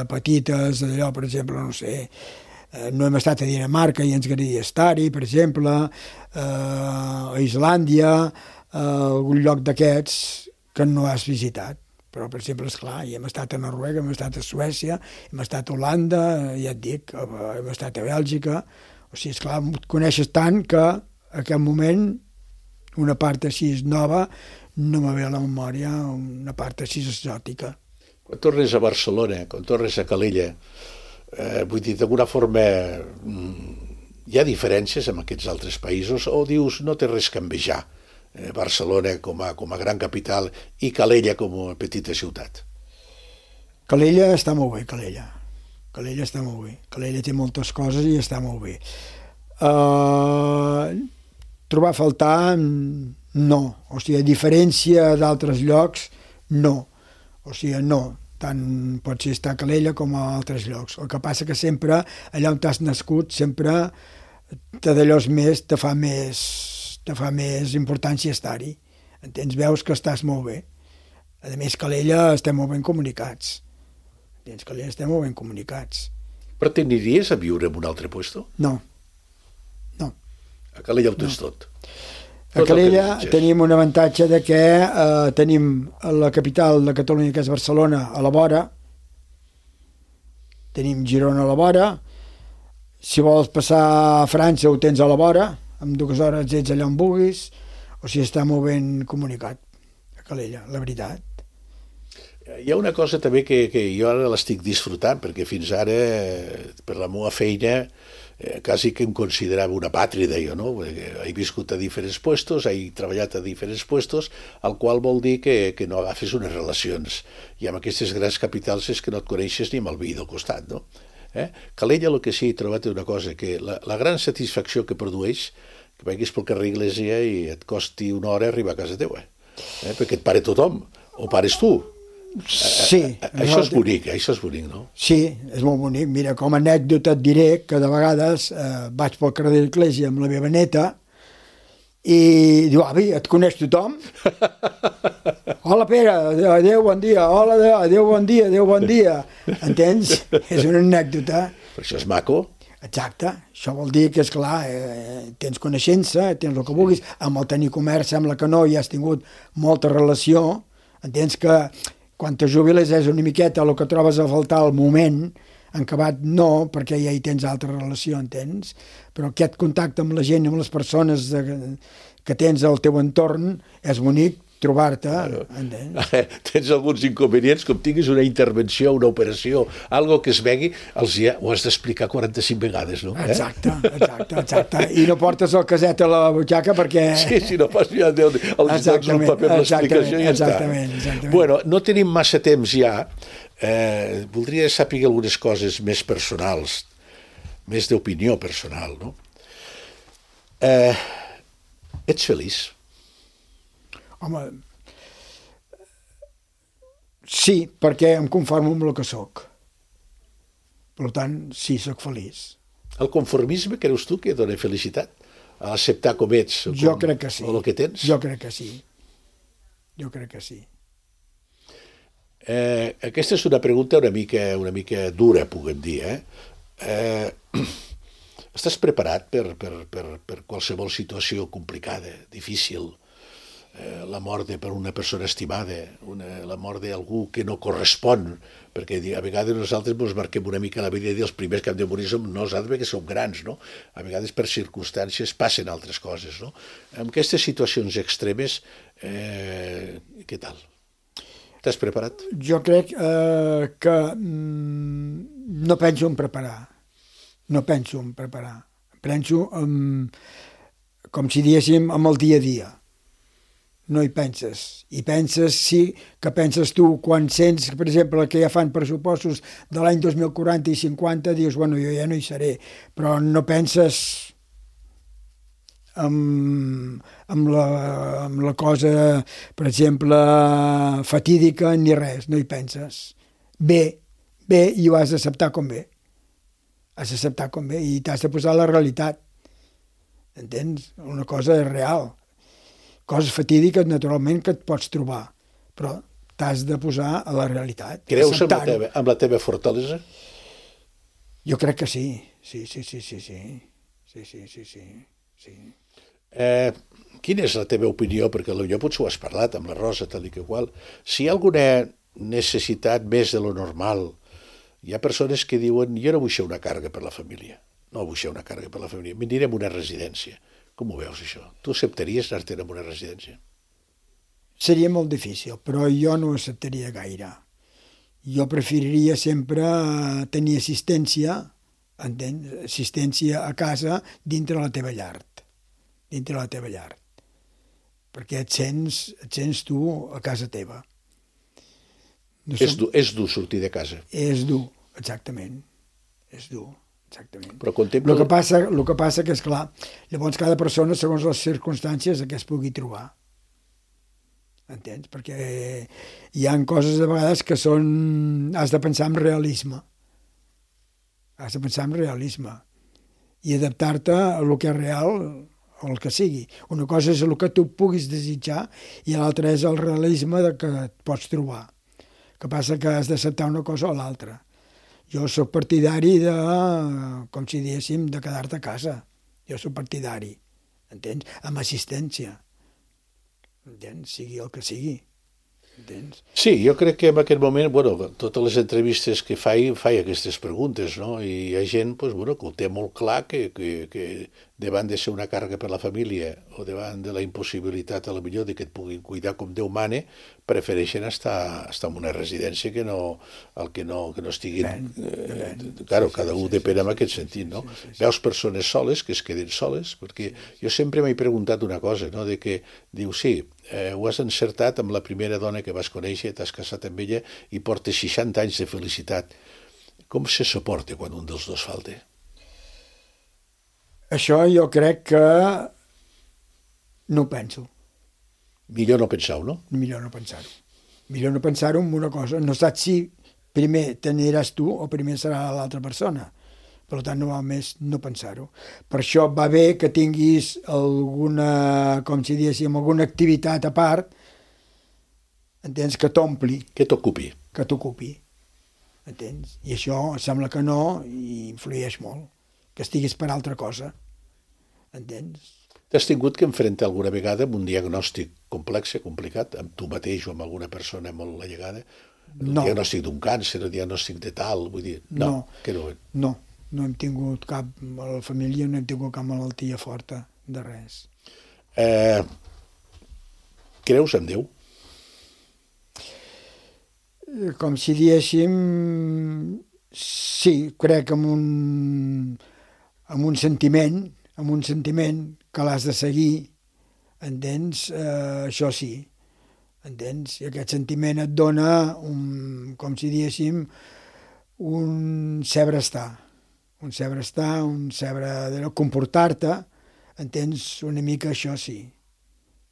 petites d'allò, per exemple, no sé, no hem estat a Dinamarca i ens agradaria estar-hi, per exemple, a Islàndia, a algun lloc d'aquests que no has visitat. Però, per exemple, esclar, hem estat a Noruega, hem estat a Suècia, hem estat a Holanda, ja et dic, hem estat a Bèlgica. O sigui, esclar, coneixes tant que en aquest moment una part així nova no me ve a la memòria, una part així exòtica. Quan tornes a Barcelona, quan tornes a Calella, vull dir, d'alguna forma hi ha diferències amb aquests altres països o dius no té res que envejar Barcelona com a gran capital i Calella com a petita ciutat? Calella està molt bé, Calella està molt bé. Calella té moltes coses i està molt bé. Trobar a faltar, no. O sigui, a diferència d'altres llocs, no. O sigui, no. Tant pot ser estar a Calella com a altres llocs. El que passa que sempre, allà on t'has nascut, sempre te fa més importància estar-hi. Entens? Veus que estàs molt bé. A més, Calella estem molt ben comunicats. Entens? Calella estem molt ben comunicats. Però t'aniries a viure en un altre lloc? No. A Calella ho tens tot. A Calella tenim un avantatge de que tenim la capital de Catalunya, que és Barcelona, a la vora, tenim Girona a la vora, si vols passar a França ho tens a la vora, en 2 hores ets allà on vulguis, o sigui, està molt ben comunicat a Calella, la veritat. Hi ha una cosa també que jo ara l'estic disfrutant, perquè fins ara, per la meva feina, quasi que em considerava una pàtrida, jo, no? He viscut a diferents puestos, he treballat a diferents puestos, el qual vol dir que no agafes unes relacions. I amb aquestes grans capitals és que no et coneixes ni amb el veí del costat, no? Calella, el que sí he trobat és una cosa, que la gran satisfacció que produeix, que vagis pel carrer Iglésia i et costi 1 hora arribar a casa teva, perquè et pare tothom, o pares tu. Sí. Això és bonic, no? Sí, és molt bonic. Mira, com a anècdota et diré que de vegades vaig pel carrer de l'Església amb la meva neta i diu, avi, et coneix tothom? Hola, Pere, adéu, bon dia. Hola, adéu, bon dia. Entens? És una anècdota. Però això és maco. Exacte. Això vol dir que, esclar, tens coneixença, tens el que vulguis. Amb el tenir comerç sembla que no, i has tingut molta relació. Entens que quan te jubiles és una miqueta el que trobes a faltar al moment, en acabat no, perquè ja hi tens altra relació, entens? Però aquest contacte amb la gent, amb les persones que tens al teu entorn, és bonic trobar-te, entens? Tens alguns inconvenients, com tinguis una intervenció, una operació, algo que es vegui, ho has d'explicar 45 vegades, no? Exacte. I no portes el caset a la butxaca perquè... Sí, no pas ja els dones el paper amb l'explicació i ja està. Exactament. Bueno, no tenim massa temps ja. Voldria saber algunes coses més personals, més d'opinió personal, no? Ets feliç? Home, sí, perquè em conformo amb el que sóc. Per tant, sí, sóc feliç. El conformisme, creus tu, que dona felicitat? A acceptar com ets? Jo crec que sí. O el que tens? Jo crec que sí. Aquesta és una pregunta una mica dura, puguem dir. Estàs preparat per qualsevol situació complicada, difícil? La mort per una persona estimada, la mort d'algú que no correspon, perquè a vegades nosaltres ens marquem una mica la vida i els primers que hem de morir som nosaltres perquè som grans, no? A vegades per circumstàncies passen altres coses, no? En aquestes situacions extremes, què tal? T'has preparat? Jo crec que no penso en preparar. Penso com si diguéssim amb el dia a dia. no hi penses. I penses, sí, que penses tu quan sents, per exemple, que ja fan pressupostos de l'any 2040 i 50, dius, bueno, jo ja no hi seré, però no penses amb la cosa, per exemple, fatídica ni res, no hi penses. Bé, i ho has d'acceptar com bé. Has d'acceptar com bé i t'has de posar la realitat. Entens? Una cosa és real. Coses fatídiques, naturalment, que et pots trobar, però t'has de posar a la realitat. Creus amb la teva fortalesa? Jo crec que sí. Sí. Quina és la teva opinió? Perquè potser ho has parlat amb la Rosa, tal i que qual. Si hi ha alguna necessitat més de lo normal, hi ha persones que diuen jo no vull ser una càrrega per la família. No vull ser una càrrega per la família. M'anirem a una residència. Com ho veus, això? Tu acceptaries anar-te'n a una residència? Seria molt difícil, però jo no ho acceptaria gaire. Jo preferiria sempre tenir assistència, entens? Assistència a casa dintre la teva llar. Dintre la teva llar. Perquè et sents tu a casa teva. No és dur sortir de casa. És dur, exactament. És dur, exactament. Però contempla... El que passa que, esclar, llavors cada persona, segons les circumstàncies, que es pugui trobar. Entens? Perquè hi ha coses de vegades que són... Has de pensar en realisme. Has de pensar en realisme. I adaptar-te a el que és real, o el que sigui. Una cosa és el que tu puguis desitjar i l'altra és el realisme de que et pots trobar. Que passa que has d'acceptar una cosa o l'altra. Jo sóc partidari de, com si diguéssim, de quedar-te a casa. Jo sóc partidari, entens? Amb assistència. Entens? Sigui el que sigui. Entens? Sí, jo crec que en aquest moment, bueno, totes les entrevistes que faig aquestes preguntes, no? I hi ha gent, pues, bueno, que ho té molt clar que davant de ser una càrrega per la família o davant de la impossibilitat, a la millor, de que et puguin cuidar com Déu mane, prefereixen estar en una residència que no estiguin... Claro, cada un depèn en aquest sentit, no? Veus persones soles que es queden soles, perquè jo sempre m'he preguntat una cosa, no? De que, diu, sí, ho has encertat amb la primera dona que vas conèixer, t'has casat amb ella i portes 60 anys de felicitat. Com se suporta quan un dels dos falta? Això jo crec que no ho penso. Millor no pensar-ho, no? Millor no pensar-ho. Millor no pensar-ho en una cosa. No saps si primer t'aniràs tu o primer serà l'altra persona. Per tant, no va més no pensar-ho. Per això va bé que tinguis alguna, com si diguéssim, alguna activitat a part, entens, que t'ompli. Que t'ocupi. Que t'ocupi. Entens? I això sembla que no i influeix molt. Que estiguis per altra cosa. Entens? T'has tingut que enfrontar alguna vegada amb un diagnòstic complex, complicat, amb tu mateix o amb alguna persona molt allegada? No. El diagnòstic d'un càncer, el diagnòstic de tal, vull dir... No. Que no. No hem tingut cap... A la família no hem tingut cap malaltia forta de res. Creus en Déu? Com si diguéssim... Sí, crec en un sentiment que l'has de seguir, entens? Això sí, entens? I aquest sentiment et dona, com si diguéssim, un saber estar, un saber de comportar-te, entens? Una mica això sí,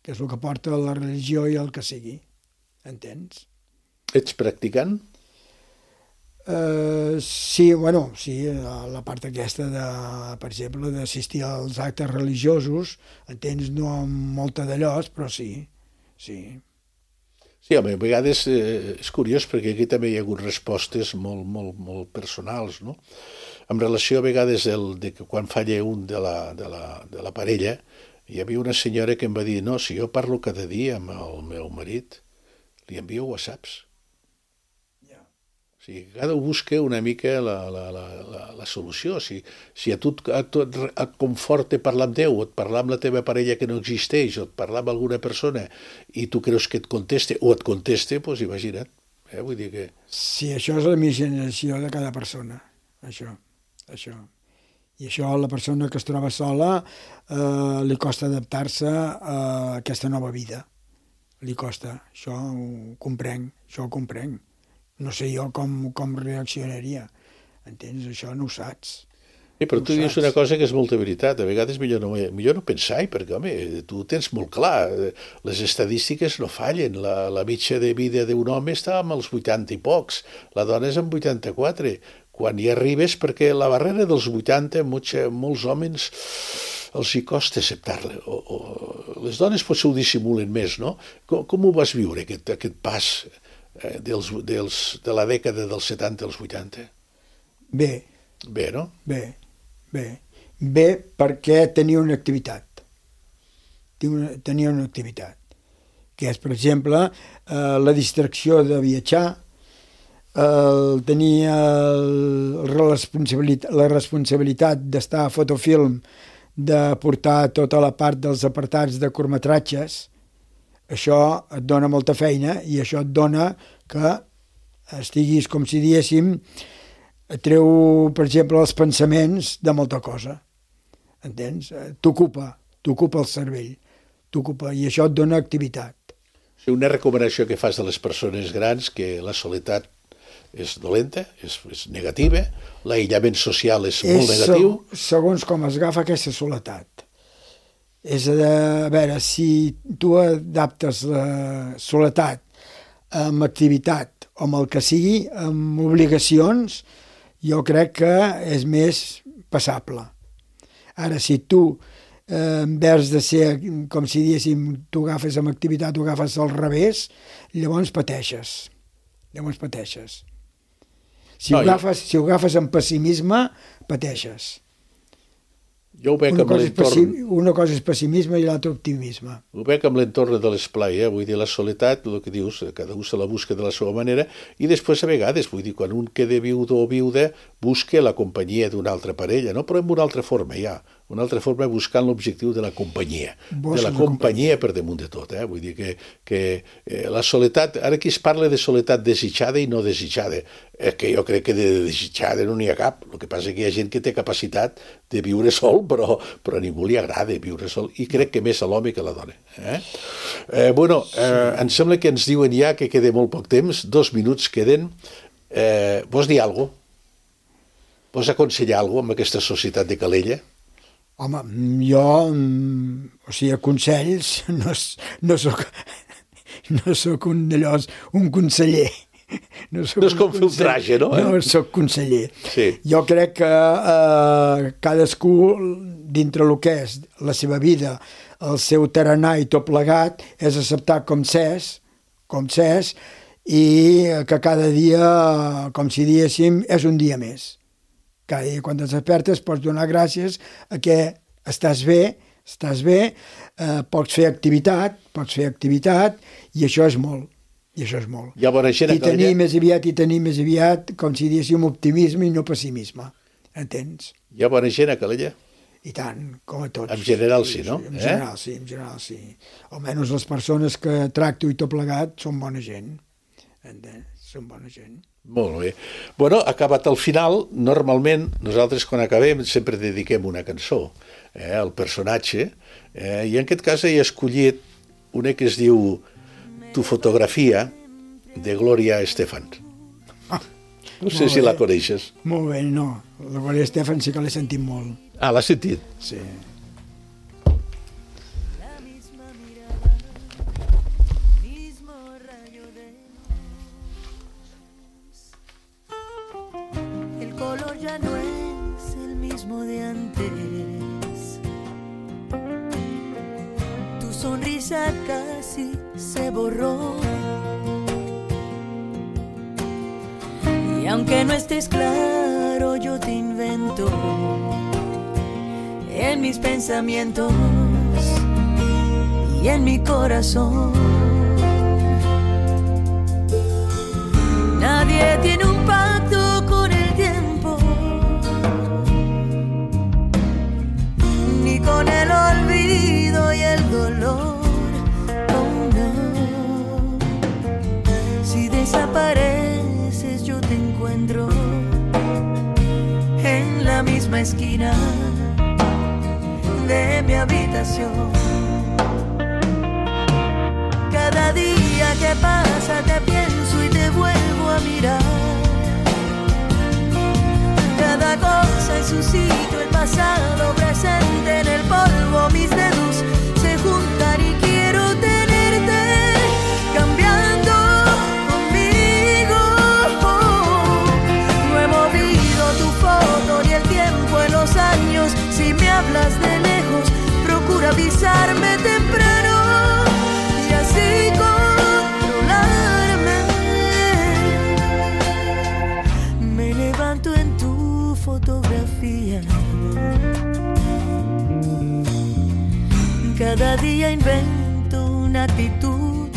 que és el que porta la religió i el que sigui, entens? Ets practicant? Sí, bueno, sí, la part aquesta, per exemple, d'assistir als actes religiosos, entens, no amb molta d'allòs, però sí. Sí, home, a vegades és curiós perquè aquí també hi ha hagut respostes molt personals, no? En relació a vegades de que quan falla un de la parella, hi havia una senyora que em va dir, no, si jo parlo cada dia amb el meu marit, li envio whatsapps. O sigui, cada un busca una mica la solució. Si a tu et conforta parlar amb Déu, o et parlar amb la teva parella que no existeix, o et parlar amb alguna persona i tu creus que et conteste, o et conteste, doncs imagina't. Vull dir que... Sí, això és la imaginació de cada persona, això. I això a la persona que es troba sola li costa adaptar-se a aquesta nova vida. li costa. Això ho comprenc. No sé jo com reaccionaria. Entens? Això no ho saps. Sí, però tu dius una cosa que és molta veritat. A vegades millor no pensar-hi, perquè, home, tu tens molt clar. Les estadístiques no fallen. La mitja de vida d'un home està amb els 80 i pocs. La dona és amb 84. Quan hi arribes, perquè la barrera dels 80, molts homes els hi costa acceptar-la. Les dones potser ho dissimulen més, no? Com ho vas viure, aquest pas de la dècada dels 70 als 80? Bé. Bé, no? Bé, perquè tenia una activitat. Tenia una activitat. Que és, per exemple, la distracció de viatjar, tenia la responsabilitat d'estar a Fotofilm, de portar tota la part dels apartats de curtmetratges. Això et dona molta feina i això et dona que estiguis, com si diéssim, et treu, per exemple, els pensaments de molta cosa. Entens? T'ocupa el cervell. I això et dona activitat. Una recomanació que fas a les persones grans, que la soledat és dolenta, és negativa, l'aïllament social és molt negatiu. Segons com es agafa aquesta soledat. És a veure, si tu adaptes la soledat amb activitat o amb el que sigui, amb obligacions, jo crec que és més passable. Ara, si tu, en vez de ser, com si diéssim, tu agafes amb activitat, tu agafes al revés, llavors pateixes. Si ho agafes amb pessimisme, pateixes. Jo ho veig amb l'entorn... Una cosa és pessimisme i l'altra optimisme. Ho veig amb l'entorn de l'esplai, vull dir, la soledat, el que dius, cada un se la busca de la seva manera, i després a vegades, vull dir, quan un queda viudo o viuda, busca la companyia d'una altra parella, no? Però en una altra forma, una altra forma buscant l'objectiu de la companyia, per damunt de tot, vull dir que la soledat, ara aquí es parla de soledat desitjada i no desitjada, que jo crec que de desitjada no n'hi ha cap, el que passa que hi ha gent que té capacitat de viure sol, però a ningú li agrada viure sol, i crec que més a l'home que a la dona. Em sembla que ens diuen ja que queda molt poc temps, 2 minuts queden. Vols dir alguna cosa? Vols aconsellar alguna cosa amb aquesta societat de Calella? Home, jo, consells, no soc un conseller. No és com filtratge, no? No soc conseller. Sí. Jo crec que cadascú, dintre el que és la seva vida, el seu tarannà i tot plegat, és acceptar com s'és, i que cada dia, com si diéssim, és un dia més. Cada dia quan et despertes pots donar gràcies a que estàs bé, pots fer activitat, i això és molt. Hi ha bona gent a Calella. I tenir més aviat, com si diguéssim, optimisme i no pessimisme. Entens? Hi ha bona gent a Calella? I tant, com a tots. En general sí, no? En general sí. Almenys les persones que tracto i tot plegat són bona gent. Són bona gent. Molt bé. Bueno, acabat al final, normalment nosaltres quan acabem sempre dediquem una cançó al personatge, i en aquest cas he escollit una que es diu Tu fotografia, de Gloria Estefan. No sé si la coneixes. Molt bé, no. La Gloria Estefan sí que l'he sentit molt. Ah, l'has sentit? Sí. El color ya no es el mismo de antes. Tu sonrisa casi se borró. Y aunque no estés claro, yo te invento en mis pensamientos y en mi corazón. Nadie tiene un pacto con el tiempo, ni con el olvido y el dolor. Oh no, si desapareces yo te encuentro en la misma esquina de mi habitación. Cada día que pasa te pienso y te vuelvo a mirar. Cada cosa en su sitio, el pasado presente en el polvo, mis dedos se juntan y quiero tenerte cambiando conmigo. No he movido tu foto ni el tiempo en los años. Si me hablas de lejos, procura avisarme temprano y así controlarme. Me levanto en tu fotografía. Cada día invento una actitud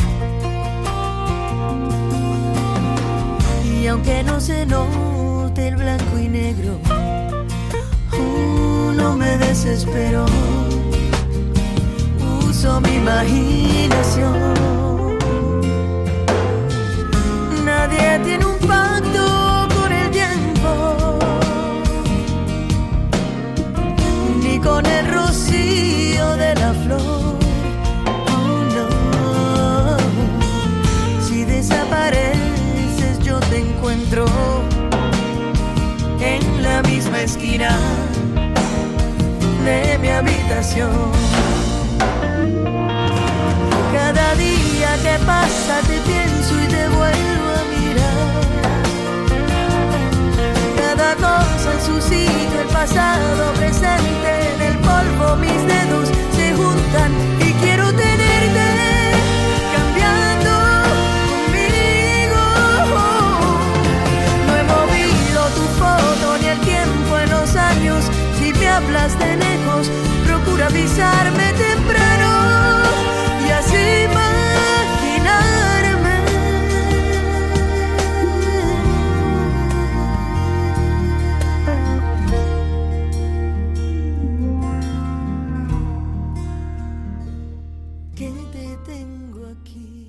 y aunque no se note el blanco y negro, no me desespero. Uso mi imaginación. Nadie tiene un pacto con el tiempo, ni con el rocío de la flor. Oh, no. Si desapareces yo te encuentro en la misma esquina de mi habitación. Cada día que pasa te pienso y te vuelvo a mirar. Cada cosa en su sitio, el pasado presente en el polvo, mis dedos se juntan y quiero tenerte cambiando conmigo. No he movido tu foto ni el tiempo en los años. Si me hablas de lejos, procura avisarme temprano y así imaginarme. Que te tengo aquí.